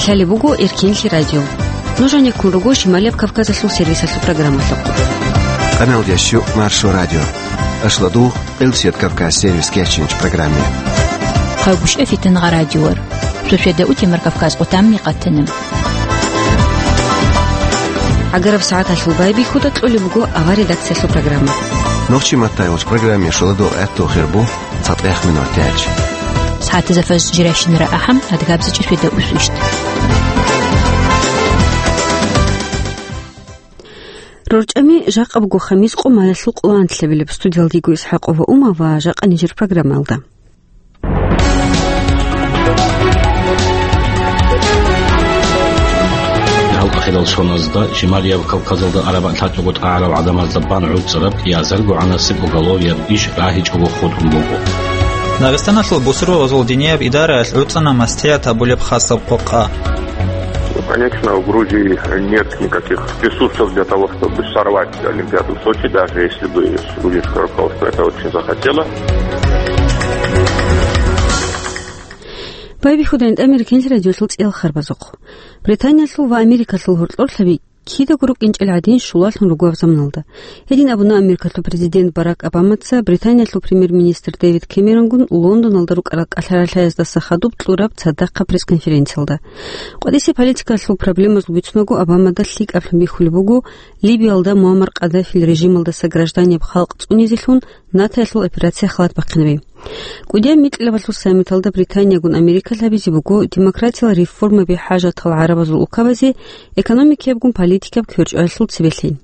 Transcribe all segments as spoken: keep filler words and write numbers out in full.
Лъалеб буго Эркенлъи радио. Нуж гьанеккун руго Шималияб Кавказалъул сервисалъул программалъухъ. Къаналдящу Маршо радио. Ашладу Элсият Кавказ сервис кечинч программе. Хъагушев Фитнагъа радиор. Суседа утемар Кавказ къутамни къатанам. Агараб сагӀаталъул байбихьуда кьолеб буго авар редакциялъул программа. Нохчи маттайгъуч программе шоладу гӀатту хирбу. ЦатӀех минутач. СагӀатазда фажр жирашинара ахӀам, адгабзичӀеб светда усу ишт. РорчӀами жакъа буго хамис къо маялъул къоло анлъабилеб. Студиялдего ИсхӀакъова Ума ва жакъа нижер программаялда. Гьал ахирал соназда Шималияб Кавказалда араб лъачӀого тӀагӀарал гӀадамазда бан гӀуцӀараб кӀиазарго гӀанасеб уголовияб иш рагьичӀого хутӀун буго. Дагъистаналъул бусурбабазул динияб идараялъ гӀуцӀана мастият абулеб хасаб къокъа. Конечно, у Грузии нет никаких ресурсов для того, чтобы сорвать Олимпиаду в Сочи, даже если бы грузинское руководство это очень захотело. Байбихьуда ин тӀамир кинлъи радиолъул цӀиял харбазухъ. Британиялъул ва Америкалъул гьоркьорлъаби кидаго рукӀинчӀел гӀадин щулалъун руго гьаб заманалда. Гьедин абуна Америкалъул президент Барак Обамаца Британиялъул премьер-министр Дэвид Кэмеронгун Лондоналда рукӀарал кӀалъаралъаздаса хадуб кьураб цадахъаб пресс-конференциялда. КъватӀисе политикалъул проблемазул бицунаго Обамада лъикӀаблъун бихьулеб буго Либиялда Муаммар Къаддафил режималдаса гражданияб халкъ цӀунизелъун НАТОялъул операция халат бахъинаби. КӀудияб микьилабалъул саммиталда Британиягун Америкалъ гьабизе буго демократиял реформаби хӀажатал гӀарабазул улкабазе экономикиябгун политикаб кверчӀалъул цебелъи.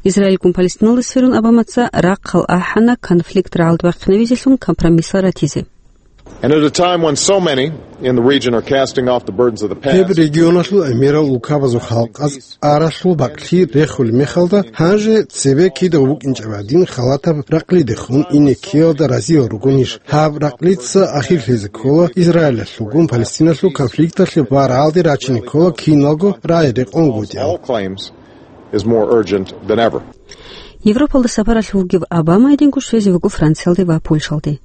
Израильгун Палестиналда сверун Обамаца рахъал ахӀана конфликт рагӀалда бахъинавизелъун компромиссал ратизе. And at a time when so many in the region are casting off the burdens of the past. Гьеб регионалъул гӀемерал улкабазул халкъаз аралъул бакӀлъи рехулеб мехалда, гьанже цебе кида букӀинчӀеб гӀадин халатаб ракълидехун ине ккеялда разиял ругонищ? Гьаб ракълица ахирлъизе ккола Израилалъулгун Палестиналъул конфликталъе ва рагӀалде рачине ккола киналго рагӀи рекъон гутӀи. All claims is more urgent than ever. Европалда сапаралъув вугев Обама гьединго щвезе вуго Франциялде ва Польшалде.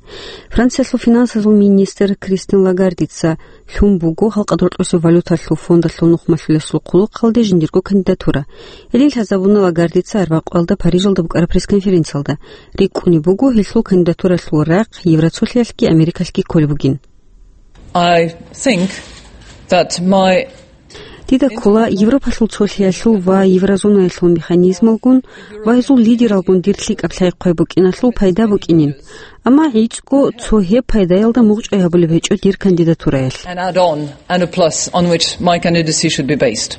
Франциялъул финансазул министр Кристин Лагардица лъун буго Халкъалъул рокьосеб валюталъул фондалъул нухмалъулесул хъулухъалде жиндирго кандидатура. Гьедин лъазабуна Лагардица арбякъуялда Парижалда букӀараб пресс-конференциялда. РикӀкӀунеб буго гьелъул кандидатуралъул рахъ Евроцолъиялъги Америкалъги кколеб бугин. I think that my Дида ккола Европалъул цолъиялъул ва еврозонаялъул механизмалгун ва гьезул лидералгун дир лъикӀаб лъай-хъвай букӀиналъул пайда букӀинин. Амма гӀицӀго цо гьеб пайдаялда мугъчӀвай гьабулеб гьечӀо дир кандидатураялъ. An add-on and a plus on which my candidacy should be based.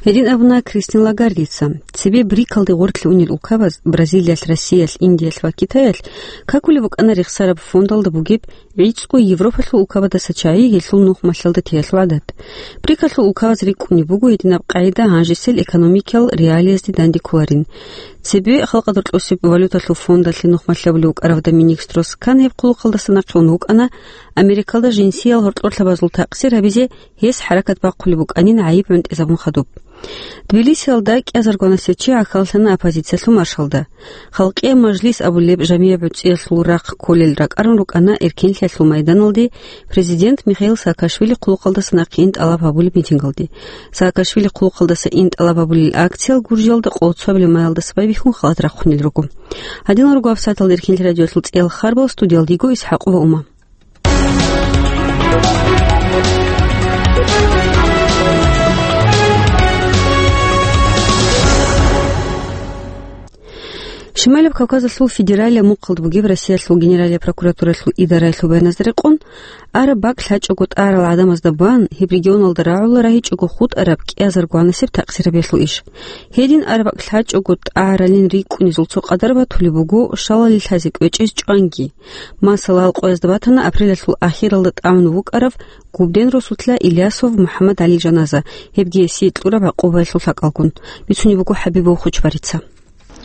Гьедин абуна Кристин Лагардица. Цебе БРИКалде гъорлъе унел улкабаз, Бразилиялъ, Россиялъ, Индиялъ ва Китаялъ, какулеб букӀана рехсараб фондалда бугеб гӀицӀго Европалъул улкабадаса чагӀи гьелъул нухмалъалда теялъул гӀадат. БРИКалъул улкабаз рикӀкӀунеб буго гьединаб къагӀида гьанжесел экономикиял реалиязде дандеккуларин. Цебе Халкъалъул рокьосеб валюталъул фондалъе нухмалъ гьабулев вукӀаравда Министрос Кан гьеб хъулухъалдаса нахъе ун вукӀана, Америкалда жинсиял гьоркьорлъабазул такъсир гьабизе гьес хӀаракат бахъулеб букӀанин гӀайиб гӀунтӀизабун хадуб. Тбилисиялда кӀиазаргванасев чи гӀахьаллъана оппозициялъул маршалда. Халкъияб мажлис абулеб жамияб гӀуцӀиялъул рахъ кколел ракӀарун рукӀана эркенлъиялъул майданалде президент Михаил Саакашвили хъулухъалдаса нахъе ин тӀалаб гьабулеб митингалде. Саакашвили хъулухъалдаса ин тӀалаб гьабулел акциял Гуржиялда къоло цоабилеб майалдаса байбихьун халат рахъунел руго. Гьадинал руго гьабсагӀаталда Эркенлъи радиоялъул цӀиял харбал, студиялда йиго ИсхӀакъова Ума. Шималияб Кавказалъул федералияб мухъалда бугеб Россиялъул Генералияб прокуратуралъул идараялъул баяназда рекъон, араб бакӀ лъачӀого тӀагӀарал гӀадамазда бан гьеб регионалда рагӀула рагьичӀого хутӀараб кӀиазаргванасеб такъсирабиялъул иш. Гьедин араб бакӀ лъачӀого тӀагӀаралин рикӀкӀунезул цо къадар батулеб буго шалали лъазе кӀвечӀез чӀванги. Масала, къоязда батана апрелалъул ахиралда тӀамун вукӀарав Губден росулъа Ильясов МухӀаммадгӀалил жаназа, гьебги гьесие кьураб гӀакъубаялъул лъакӀалгун. Бицунеб буго ХӀабибов Хучбарица.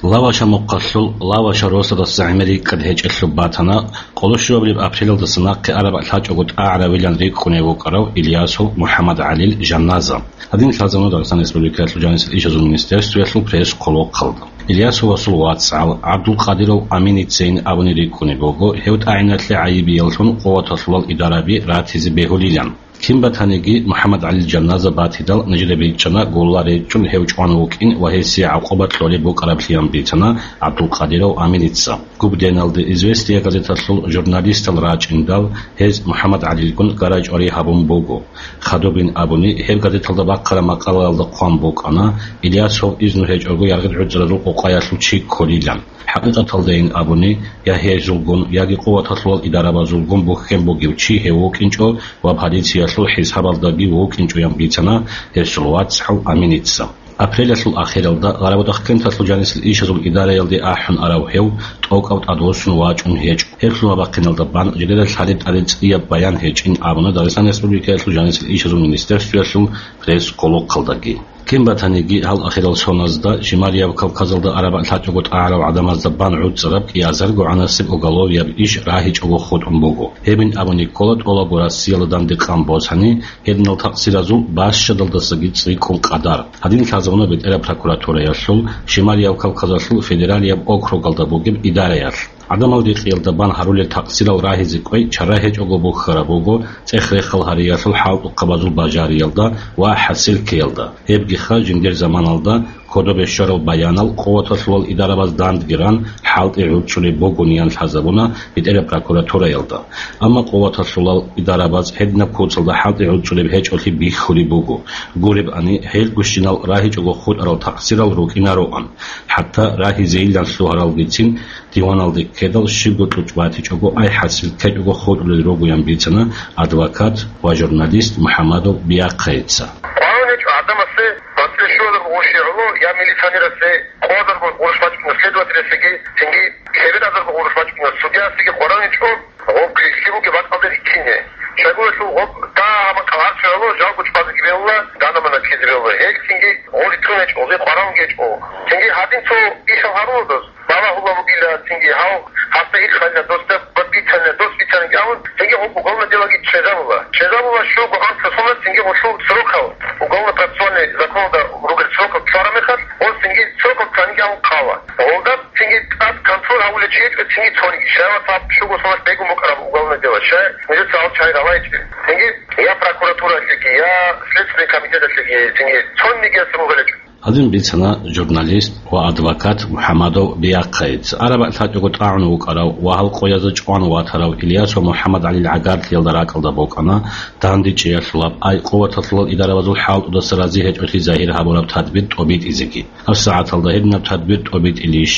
Лаваша мухъалъул Лаваша росадаса гӀемер рикӀкӀад гьечӀелъуб батана, къолошуабилеб апрелалдаса нахъе араб лъачӀого тӀагӀаравилан рикӀкӀунев вукӀарав Ильясов МухӀаммадгӀалил жаназа. Гьадин лъазабуна Дагъистан Республикалъул жанисел ишазул министерствоялъул пресс-хъулухъалда. Ильясовасул вацгӀал ГӀабдулкъадиров Аминицейин абуни рикӀкӀунеб буго, гьев тӀагӀиналъе гӀайибияллъун къуваталъулал идараби ратизе бегьулилан. Кин батаниги, МухӀаммад ГӀалил жаназа батидал, нижеда бичӀчӀана гулла речӀчӀун гьев чӀван вукӀин ва гьесие гӀакъуба кьолеб букӀараблъиян бицана ГӀабдулкъадиров Аминица. Губденалде «Известия» газеталъул журналистал рачӀиндал, гьез МухӀаммад ГӀалилгун гарай-чӀварай гьабун буго. Хадубин абуни, гьеб газеталда бахъараб макъалаялда хъван букӀана, Ильясов изну гьечӀого яргъи гӀуцӀаразул къокъаялъул чи кколилан. ХӀакъикъаталдайин абуни, я гьезулгун, яги къуваталъулал идарабазулгун бухьен бугев чи гьев вукӀинчӀо ва полициялъул хӀисабалдаги вукӀинчӀоян бицана гьесул вацгӀал Аминица. Апрелалъул ахиралда Гъарабудахъ кенталъул жанисел ишазул идараялде ахӀун арав гьев тӀокӀав тӀадвуссун вачӀун гьечӀо. Гьеб лъугьа-бахъиналда бан жидеда лъалеб тӀаде цӀияб баян гьечӀин абуна Дагъистаналъ Республикаялъул жанисел ишазул министерствоялъул пресс-къулухъалдаги. Кин батаниги, гьал ахирал соназда Шималияб Кавказалда араб лъачӀого тӀагӀарал гӀадамазда бан гӀуцӀараб кӀиазарго гӀанасеб уголовияб иш рагьичӀого хутӀун буго. Гьебин абуни ккола тӀолабго Россиялда дандекъан босани, гьединал такъсиразул бащадалдасаги цӀикӀкӀун къадар. Гьадин лъазабуна БетӀераб прокуратураялъул Шималияб Кавказалъул федералияб округалда бугеб идараялъ. ГӀадамал рекъиялда бан гьарулел такъсирал рагьизе кӀвей чара гьечӀого бухьараб буго цӀех-рехал гьариялъул хӀалтӀухъабазул бажариялда ва хӀасилккеялда. Гьебгиха жиндир заманалда кодобе щварал баянал къуваталъулал идарабаз дандги ран хӀалтӀи гӀуцӀулеб бугониан лъазабуна БетӀераб прокуратураялда. Амма къуваталъулал идарабаз гьединаб куцалда хӀалтӀи гӀуцӀулеб гьечӀолъи бихьулеб буго. Гуребани, гьел гущинал рагьичӀого хутӀарал такъсирал рукӀинароан. ХӀатта рагьизейилан лъугьаралгицин диваналде ккедал щибго кьучӀ батичӀого, ай хӀасил ккечӀого хутӀулел ругоян бицана адвокат ва журналист МухӀамадов Биахъайица. КъваригӀун гьечӀо гӀадамасе, батӀлъи щуазарго гъурущ гӀоло, я милиционерасе, къвазарго гъурущ бачӀуна следователясеги, цинги лъебедазарго гъурущ бачӀуна судьясеги къваригӀун гьечӀо. Гъоб лъикӀлъи бугеб бакӀалде риккине. Щайгурелъул гъоб дагьаб макъал гьарцуялъул жалго чӀвазеги бегьула, дана-мана ккезе бегьула. Гьелцинги гъорлъ тун гьечӀо, гъе къваригӀун гьечӀо. Цинги гьадинцо ишал гьарулдас балагьула бугила, цинги гьав гьасда ирхайилан досда бицана, дос бицаниги абун, цинги гъоб уголовное делоги чӀезабула. ЧӀезабула щуго анцӀго соналъ цинги гъолъул срокал, уголовно-процессуальный законалда ругел срокал ккараб мехалъ, гъол цинги срокал цаниги абун хъала. Гъолда цинги тӀад контроль гьавулев чи гьечӀо, цинги цониги. Щай ва тӀад щуго соналъ бегун букӀараб уголовное дело? Щай нижеца гьал чагӀи ралайчӀел? Цинги я прокуратуралъеги, я Следственный комитеталъеги цинги цонигиясда ругелечӀо. Гьадин бицана журналист ва адвокат МухӀамадов Биахъайица. Араб лъачӀого тӀагӀун вукӀарав ва гьал къоязда чӀван ватарав Ильяс ва МухӀаммад ГӀалил гӀагарлъиялда ракӀалда букӀана дандечӀеялъулаб, ай къуваталъулал идарабазул хӀалтӀудаса рази гьечӀолъи загьир гьабураб тадбир тӀобитӀизеги. ГьабсагӀаталда гьединаб тадбир тӀобитӀилищ,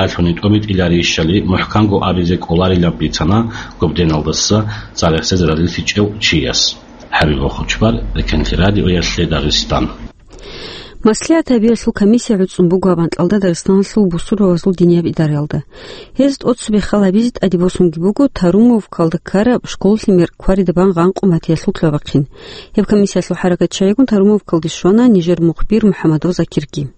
ялъуни тӀобитӀиларищали мухӀканго абизе кӀоларилан бицана губденалдаса цӀарахсезе разилъичӀев чияс. ХӀабиб Хучбар, Рекенлъи радиоялъе Дагъистан. МаслихӀат гьабиялъул комиссия гӀуцӀун буго гьаб анкьалда Дагъистаналъул бусурбабазул динияб идараялда. Гьез тӀоцебе хал гьабизе тӀаде босунги буго Тарумовкалда ккараб школалъе мер кварида бан гъанкъун батиялъул лъугьа-бахъин. Гьеб комиссиялъул хӀаракатчагӀигун Тарумовкалде щвана нижер мухбир МухӀамадов Закирги.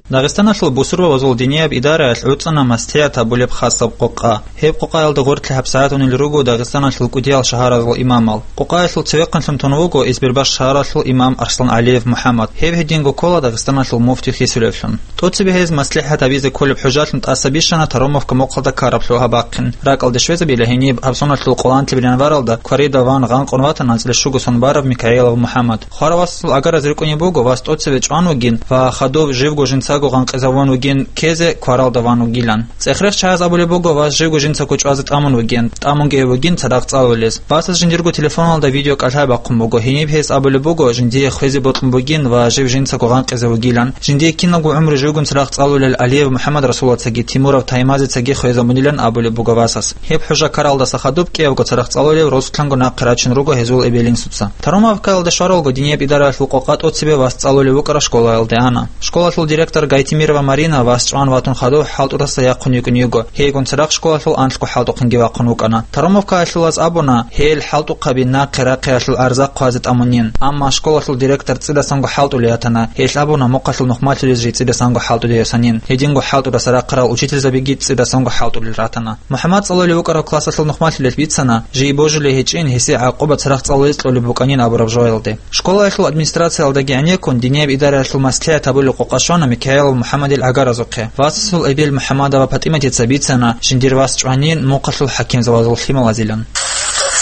Дагъистаналъул бусурбабазул динияб идараялъ гӀуцӀана маслихӀат гьабулеб хасаб къокъа. Гьеб къокъаялда гъорлъ гьабсагӀатунел руго Дагъистаналъул кӀудиял шагьаразул имамал. Къокъаялъул цевехъанлъун тун вуго Избербаш шагьаралъул имам Арслан ГӀалиев МухӀаммад. Гьев гьединго ккола Дагъистаналъул муфти хисулевлъун. ТӀоцебе гьез маслихӀат гьабизе кколеб хӀужалъун тӀаса бищана Таромовка мухъалда ккараб лъугьа-бахъин. РакӀалде щвезабила гьениб гьаб соналъул къоланлъиялда январалда кварида ван гъанкъун ватана анцӀила щуго сон бараб Микаилов МухӀаммад. Хваравасасул агараз рикӀкӀунеб буго, вас тӀоцеве чӀван вугин ва хадуб живго жинцаго гъанкъизавун вугин ккезе кваралда ван вугилан. ЦӀехрех чагӀаз абулеб буго, вас живго жинцаго чӀвазе тӀамун вугин, тӀамунги гьев вугин цадахъ цӀалулез. Васас жиндирго телефоналда видеокӀалъай бахъун буго, гьениб гьес абулеб буго, жиндие хвезе бокьун бугин ва жив жинцаго гъанкъизе вугилан. Жиндие киналго гӀумру живгун цадахъ цӀалулел Алиев МухӀаммад Расулацаги Тимуров Таймазицаги хвезабунилан абулеб буго васас. Гьеб хӀужа ккаралдаса хадуб кӀиябго цадахъ цӀалулев росулъанго нахъе рачун руго гьезул эбел-инсуца. Таромовкаялда щваралго динияб идараялъул къокъа тӀоцебе вас цӀалулев вукӀарав школаялде ана. Школалъул директор Гайтимирова Марина вас чӀван ватун хадув хӀалтӀудаса яхъун йикӀун йиго. Гьейгун цадахъ школалъул анлъго хӀалтӀухъанги вахъун вукӀана. Таромовкаялъулаз абуна, гьел хӀалтӀухъаби нахъе рахъиялъул арза хъвазе тӀамунин. Амма школалъул директор цӀидасанго хӀалтӀулей ратана. Гьелъ абуна мухъалъул нухмалъулез жий цӀидасанго хӀалтӀулей росанин. Гьединго хӀалтӀудаса рахъарал учительзабиги цӀидасанго хӀалтӀулел ратана. МухӀаммад цӀалулев вукӀарав классалъул нухмалъулелъ бицана, жий божулей гьечӀин, гьесие гӀакъуба цадахъ цӀалулез кьолеб букӀанин абураб жоялде. Школаялъул администрациялдаги гӀенеккун, динияб идараялъул маслихӀат гьабулеб къокъа щвана Микаилов МухӀаммадил гӀагаразухъе. Васасул эбел МухӀаммадова ПатӀиматица бицана, жиндир вас чӀванин мухъалъул хӀакимзабазул лъималазилан.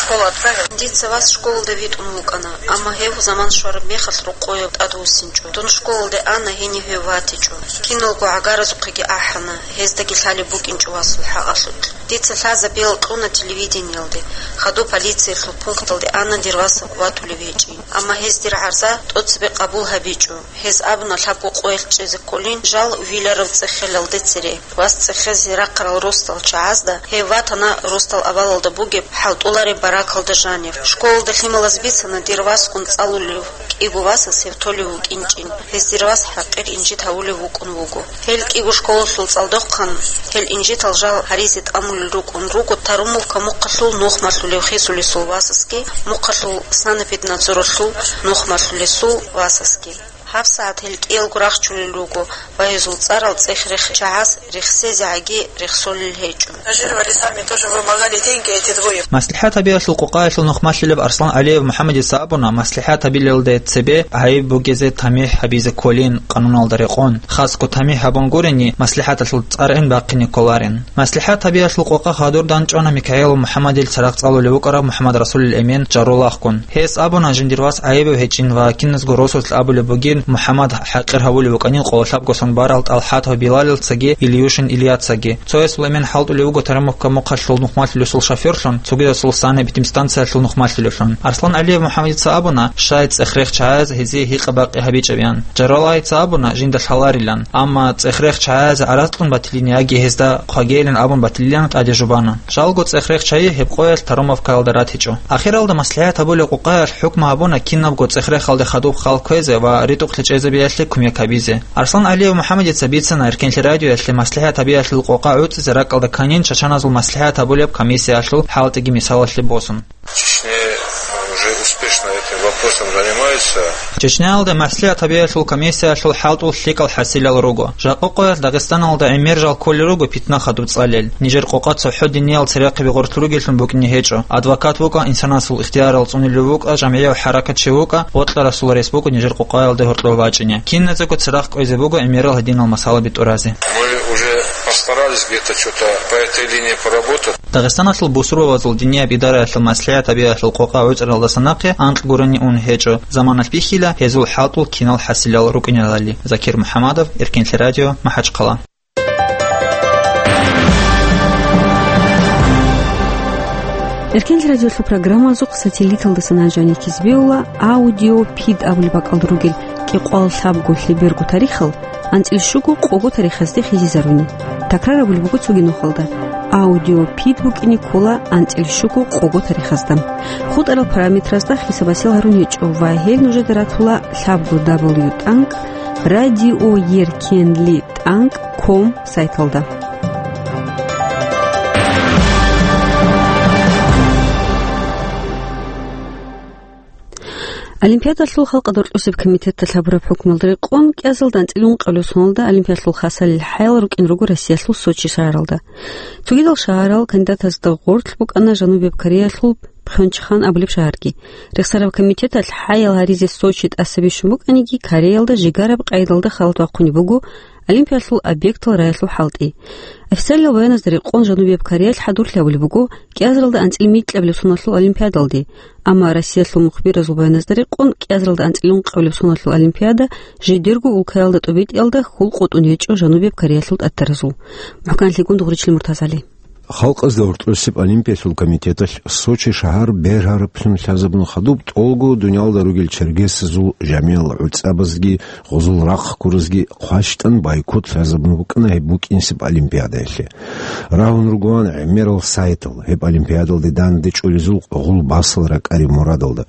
Школа отправил. Дица вас школалда витӀун вукӀана, амма гьев заман щвараб мехалъ рокъове тӀадвуссинчӀо. Дун школалде ана, гьенив гьев ватичӀо. Киналго гӀагаразухъеги ахӀана, гьездаги лъалеб букӀинчӀо васул хӀакъалъулъ. Дица лъазабиял кьуна телевидениялде, хадуб полициялъул пункталде ана дир вас ватулев гьечӀин. Амма гьез дир гӀарза тӀоцебе къабул гьабичӀо. Гьез абуна лъабго къоялъ чӀезе кколин жал виларав цӀехелалде цере. Вас цӀехезе рахъарал росдал чагӀазда гьев ватана росдал авалалда бугеб хӀалтӀулареб баракалда жанив. Школалда лъималаз бицана дир васгун цӀалулев кӀиго васас гьев толев вукӀинчӀин. Гьез дир вас хӀакъир инжит гьавулев вукӀун вуго. Гьел кӀиго школалъул цӀалдохъан гьел инжитал жал гьаризе тӀамулел рукӀун руго Тарумовка мухъалъул нухмалъулев Хисулесул васасги, мухъалъул санэпиднадзоралъул нухмалъулесул васасги. ГьабсагӀат гьел кӀиялго рахчулел руго ва гьезул цӀарал цӀех-рех чагӀаз рехсезегӀаги рехсолел гьечӀо. Жили вали сами тоже вымогали деньги эти двое. МаслихӀат гьабиялъул къокъаялъул нухмалъулеб Арслан ГӀалиев МухӀаммадица абуна, маслихӀат гьабилелде цебе гӀайиб бугезе тамихӀ гьабизе кколин къануналда рекъон. Хасго тамихӀ гьабунгурени, маслихӀаталъул цӀаргӀин бахъине кколарин. МаслихӀат гьабиялъул къокъа хадур данчӀвана Микаил МухӀаммадил царахъ цӀалулев вукӀарав МухӀаммад Расулил Эмин Жарулахъгун. Гьес абуна, жиндир вас гӀайибав гьечӀин ва киназго росулъ абулеб бугин, МухӀаммад хӀакъир гьавулев вукӀанин къоло лъабго сон барал ТӀалхӀатов Билалилцаги Ильюшин Ильяцаги. Цоясул эмен хӀалтӀулев вуго Тарамовка мухъалъул нухмалъулесул шофёрлъун, цогидасул санэпидемстанциялъул нухмалъулевлъун. Арслан ГӀалиев МухӀаммадица абуна, щай цӀех-рех чагӀаз гьезие гьикъа-бакъи гьабичӀеб, ян. Жаралайица абуна, жинда лъаларилан, амма цӀех-рех чагӀаз гӀарац кьун батилин яги гьезда хъвагейилан абун батилилан тӀаде жубана. Жалго цӀех-рех чагӀи гьеб къоялъ Тарамовкаялда ратичӀо. Ахиралда маслихӀат гьабулеб къокъаялъ хӀукму гьабуна кинабго цӀех-рехалде хадуб хал кквезе ва ритӀухълъи чӀезабиялъе кумек гьабизе. Арслан ГӀалиев МухӀаммадица бицана Эркенлъи радиоялъе маслихӀат гьабиялъул къокъа гӀуцӀизе ракӀалда кканин Чачаназул маслихӀат гьабулеб комиссиялъул хӀалтӀиги мисалалъе босун. В Чечне уже успешно этим вопросом занимаются. Чечняялда маслихӀат гьабиялъул комиссиялъул хӀалтӀул лъикӀал хӀасилал руго. Жакъа къоялъ Дагъистаналда гӀемер жал кколел руго питна хадуб цӀалел. Нижер къокъа цохӀо диниял церехъаби гъорлъ ругеллъун букӀине гьечӀо. Адвокат вукӀа, инсанасул ихтиярал цӀунилев вукӀа, жамгӀияв хӀаракатчи вукӀа, бокьарасул рес буго нижер къокъаялде гьоркьов вачӀине. Киназего церахъ кӀвезе буго гӀемерал гьединал масалаби тӀуразе. Мы уже постарались где-то что-то по этой линии поработать. Дагъистаналъул бусурбабазул динияб идараялъул маслихӀат гьабиялъул къокъа гӀуцӀаралдаса нахъе анкь гурони ун гьечӀо, заманалъ бихьила гьезул хӀалтӀул кинал хӀасилал рукӀиналали. Закир МухӀаммадов, Эркенлъи радио, МахӀачхъала. Эркенлъи радиолъул программазухъ сателлиталдаса нажани кизбеула аудиопид абулеб бакӀалда ругел кӀикъоялда лъабго лъеберго тарихал анцӀил щуго къого тарихазде хизизаруни. Такрар абулеб буго цоги нухалда: аудиопид букӀине ккола анцӀил щуго къого тарихазда. ХутӀарал параметразда хисаб-гьасил гьарун гьечӀо ва гьел нужеда ратула лъабго дабл ю тӀанкӀ радиоеркенли тӀанкӀ ком сайталда. Олимпиадалъул халкъалда рокьусеб комитеталъ гьабураб хӀукмуялда рекъон, кӀиазалда анцӀила ункъабилеб соналда Олимпиадалъул хасалил хӀаял рукӀине руго Россиялъул Сочи шагьаралда. Цогидал шагьарал кандидатазда гъорлъ букӀана Жанубияб Кореялъул Пхёнчхан абулеб шагьарги. Рехсараб комитеталъ хӀаял гьаризе Сочи тӀаса бищун букӀаниги, Кореялда жигараб къайдалда халат бахъунеб буго Олимпиялъул объектал раялъул хӀалтӀи. Официаллъи баяназда рекъон Жанубияб Кореялъ хӀадурлъи гьабулеб буго кӀиазаралда анцӀила микьабилеб соналъул Олимпиадалде. Амма Россиялъул мухбиразул баяназда рекъон кӀиазаралда анцӀила ункъабилеб соналъул Олимпиада жидерго улкаялда тӀубитӀиялда хьул къотӀун гьечӀо Жанубияб Кореялъул тӀатаразул. МухӀканлъи Гундугъричил МуртазгӀали. Халкъазда гьоркьосеб Олимпиялъул комитеталъ Сочи шагьар бергьараблъун лъазабун хадуб тӀолго дуниялда ругел чергесазул жамиял гӀуцӀабазги гъозул рахъ ккуразги хъващтӀан бойкот лъазабун букӀана гьеб букӀинсеб Олимпиадаялъе. Рагьун ругоан гӀемерал сайтал гьеб Олимпиадалде данде чӀолезул гъул басал ракӀариб мурадалда.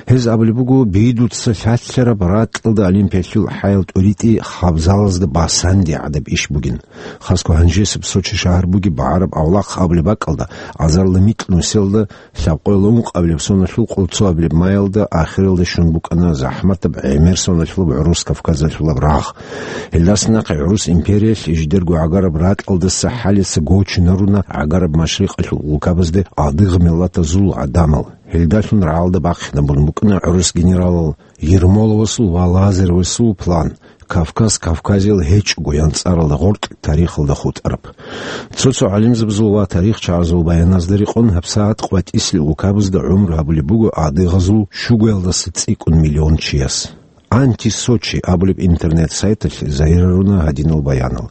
Гьез абулеб буго, Бидуца лъалъараб ракьалда Олимпиялъул хӀаял тӀуритӀи хабзалазда басанди гӀадаб иш бугин. Хасго гьанжесеб Сочи шагьар бугеб багӀараб авлахъ абулеб бакӀалда, азарилла микь нусиялда лъабкъоялда ункъабилеб соналъул къолцоабилеб майялда ахиралде щун букӀана захӀматаб гӀемер соналъулаб гӀурус Кавказалъулаб рагъ. Гьелдаса нахъе гӀурус империялъ жидерго гӀагараб ракьалдаса хӀалица гочунаруна гӀагараб машрикъалъул улкабазде адыгъ миллатазул гӀадамал. Гьелдалъун рагӀалда бахъинабун букӀана гӀурус генералал Ермоловасул ва Лазаревасул план, Кавказ Кавказиял гьечӀого ян цӀаралда гъоркь тарихалда хутӀараб. Цо-цо гӀалимзабазул ва тарихчагӀазул баяназда рекъон, гьабсагӀат къватӀислъи улкабазда гӀумру гьабулеб буго адыгъазул щугоялдаса цӀикӀкӀун миллион чияс. «Анти-Сочи» абулеб интернет-сайталъ загьирлъуна гьадинал баянал.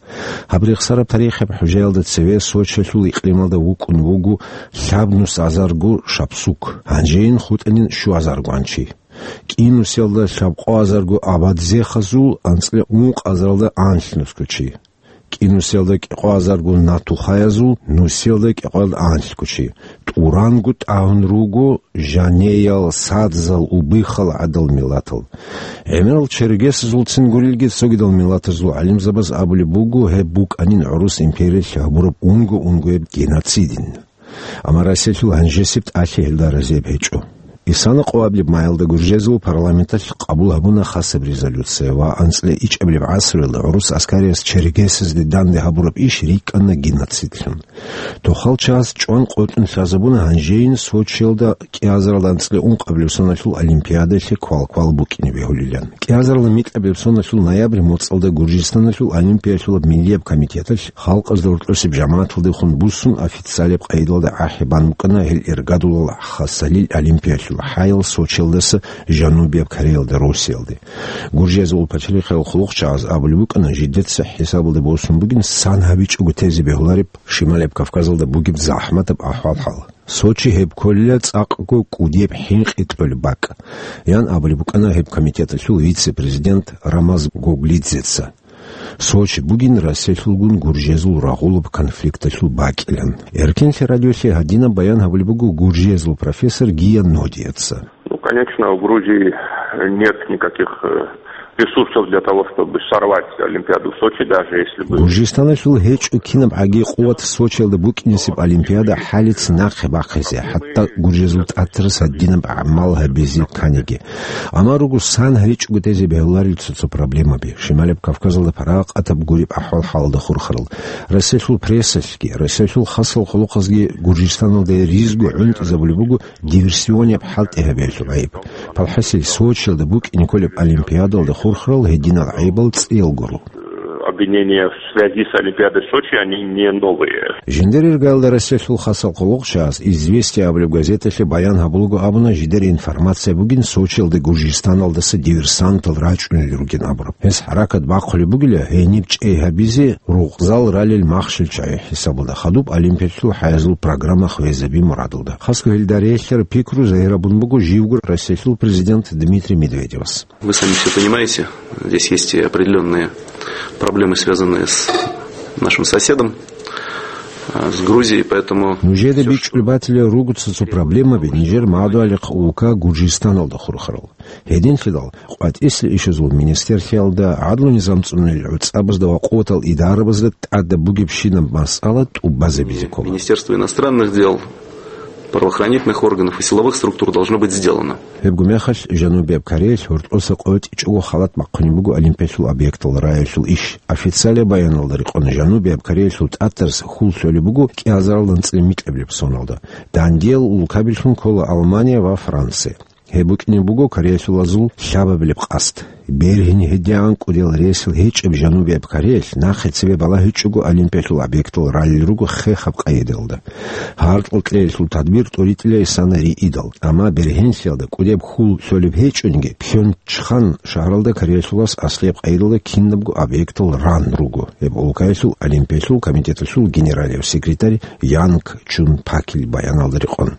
Гьаб рехсараб тарихияб хӀужаялда цеве Сочилъул икълималда вукӀун вуго лъабнус азарго шапсук, гьанжейин хутӀанин щуазарго анчи. КӀинусиялда лъабкъоазарго абадзехазул, анцӀила ункъазаралда анлънусго чи. КӀинусиялда кӀикъоазарго натухаязул, нусиялда кӀикъоялда анлъго чи. ТӀуранго тӀагьун руго жанеял, садзал, убыхал гӀадал миллатал. ГӀемерал чергесазулцин гурелги, цогидал миллатазул гӀалимзабаз абулеб буго, гьеб букӀанин гӀурус империялъ гьабураб унго-унгояб геноцидин. Амма Россиялъул гьанжесеб тӀалъи гьелда разияб гьечӀо. Исана къоабилеб маялда гуржезул парламенталъ къабул гьабуна хасаб резолюция ва анцӀила ичӀабилеб гӀасруялда гӀурус аскариялъ чергесазде данде гьабураб иш рикӀкӀана геноцидлъун. Тохал чагӀаз чӀван къотӀун лъазабуна гьанжейин Сочиялда кӀиазарал анцӀила ункъабилеб соналъул олимпиадалъе квалквал букӀине бегьулилан. КӀиазарал микьабилеб соналъул ноябрь моцӀалда Гуржистаналъул олимпиялъулаб миллияб комитеталъ халкъазда гьоркьосеб жамагӀаталдехун буссун официалияб къайдалда гӀахӀи бан букӀана гьел иргадулал хасалил олимпиялъул хӀаял Сочиялдаса Жанубияб Кореялда Россиялде. Гуржиязул пачалихъал хъулухъчагӀаз абулеб букӀана, жидеца хӀисабалда босун бугин сан гьабичӀого тезе бегьулареб Шималияб Кавказалда бугеб захӀматаб ахӀвал-хӀал. Сочи гьеб кколила цӀакъго кӀудияб хӀинкъи кьолеб бакӀ, ян абулеб букӀана гьеб комитеталъул вице-президент Рамаз Гоглидзеца. Сочи бугин Россиялъулгун гуржезул рагъулаб конфликталъул бакӀилан. Эркенлъи радиолъе гьадинаб баян гьабулеб буго гуржезул профессор Гия Нодиеца. Ну, конечно, у Грузии нет никаких, э, ресурсов для того, чтобы сорвать Олимпиаду в Сочи, даже если бы... Гуржистаналъул гьечӀо кинаб гӀаги къуват Сочиялда букӀинесеб Олимпиада хӀалица нахъе бахъизе, хӀатта гуржезул тӀатарас гьадинаб гӀамал гьабизе кканиги. Амма руго сан гьаричӀого тезе бегьуларел цо-цо проблемаби, Шималияб Кавказалда парагъатаб гуреб ахӀвал-хӀалалда хурхарал. Россиялъул прессалъги, Россиялъул хасал хъулухъазги Гуржистаналде ризго гӀунтӀизабулеб буго диверсионияб хӀалтӀи гьабиялъул гӀайиб. Палхасил Сочиялда букӀине кколеб Олимпиадалда хурхарал гьединал гӀайибал цӀиял гуро. Обвинения в связи с Олимпиадой в Сочи, они не новые. Жиндир иргаялда Россиялъул хасал хъулухъчагӀаз «Известия» абулеб газеталъе баян гьабулаго абуна, жидер информация бугин Сочиялда Гуржистаналдаса диверсантал рачӀунел ругин абураб. Гьес хӀаракат бахъулеб бугила гьениб чӀей гьабизе рукъзал ралел махщел чагӀи хӀисабалда хадуб олимпиялъул хӀаязул программа хвезаби мурадалда. Хасго гьелда релълъараб пикру загьирабун буго живго Россиялъул президент Дмитрий Медведевас. Вы сами всё понимаете, здесь есть и определённые проблемы, связанные с нашим соседом, а, с Грузией, поэтому... Нужеда бичӀчӀулеб батила руго цо-цо проблемаби нижер мадугьалихъ улка Гуржистаналда хурхарал. Гьединлъидал, къватӀислъи ишазул министерлъиялда, гӀадлу-низам цӀунарел гӀуцӀабазда ва къуватал идарабазда тӀадаб бугебщинаб масъала тӀубазабизе ккола. Министерство иностранных дел, правоохранительных органов и силовых структур должно быть сделано. Гьебго мехалъ Жанубияб Кореялъ гьоркьоса къотӀичӀого халат бахъунеб буго олимпиялъул объектал раялъул иш. Официалияб баяналда рекъон, Жанубияб Кореялъул тӀатарас хьул лъолеб буго кӀиазарал анцӀила микьабилеб соналда. Дандиял улкабилъун ккола Алмания ва Франция. Гьеб букӀине буго кореялъулазул лъабабилеб къасд. Бергьин гьедигӀан кӀудиял ресал гьечӀеб Жанубияб Кореялъ нахъе цебе балагьичӀого олимпиялъул объектал ралел руго хехаб къайдалда. Гьаркьал кьеялъул тадбир тӀуритӀила исана риидал, амма бергьенлъиялда кӀудеб хьул лъолеб гьечӀониги, Пхьончхан шагьаралда кореялъулас аслияб къайдалда кинабго объектал ран руго, гьеб улкаялъул олимпиялъул комитеталъул генералияв секретарь Янг Чун Пакил баяналда рекъон.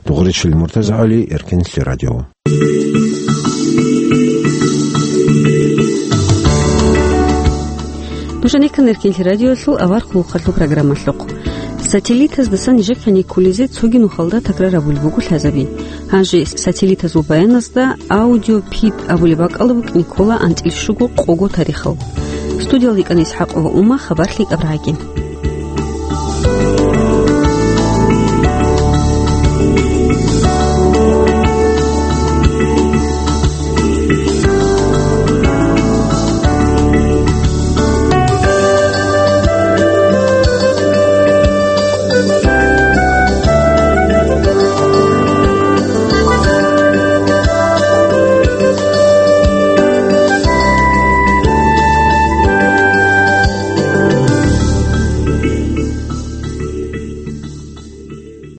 Дугъричил Муртаза ГӀали, Эркенлъи радио. Нуж гьанеккан Эркенлъи радиолъул авар хъулухъалъул программалъухъ. Сателлитаздаса нижехъе никкулезе цоги нухалда такрар абулеб буго лъазаби. Гьанже сателлитазул баяназда аудиопид абулеб бакӀалда букӀине ккола анцӀила щуго къого тарихал. Студиялда йикӀана ИсхӀакъова Ума, хабар лъикӀаб рагӀаги.